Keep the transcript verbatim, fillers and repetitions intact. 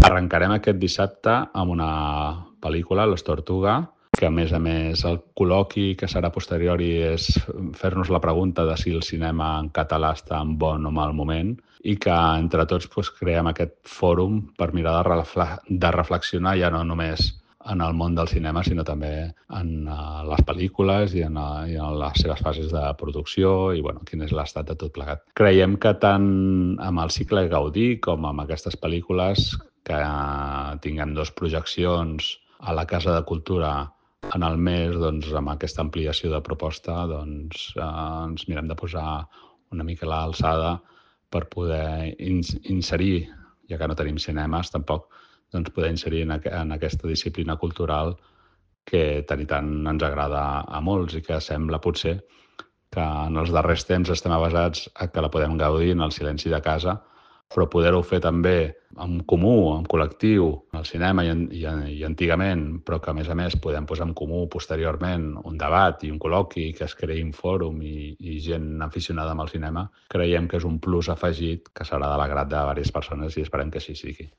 Arrencarem aquest dissabte amb una pel·lícula, Los Tortuga, que a més a més el col·loqui que serà posteriori és fer-nos la pregunta de si el cinema en català està en bon o mal moment i que entre tots pues, creem aquest fòrum per mirar de, refle de reflexionar ja no només en el món del cinema, sinó també en uh, les pel·lícules i en, uh, i en les seves fases de producció i bueno, quin és l'estat de tot plegat. Creiem que tant amb el cicle Gaudí com amb aquestes pel·lícules que uh, tinguem dos projeccions a la Casa de Cultura en el mes, doncs, amb aquesta ampliació de proposta, doncs, eh, ens mirem de posar una mica a l'alçada per poder ins inserir, ja que no tenim cinemes tampoc, doncs poder inserir en, aqu en aquesta disciplina cultural que tant i tant ens agrada a molts i que sembla potser que en els darrers temps estem avasats a que la podem gaudir en el silenci de casa, però poder-ho fer també en comú, en col·lectiu, al cinema i, en, i, i antigament, però que a més a més podem posar en comú posteriorment un debat i un col·loqui, que es creï un fòrum i, i gent aficionada amb el cinema, creiem que és un plus afegit que serà de l'agrat de diverses persones i esperem que així sigui.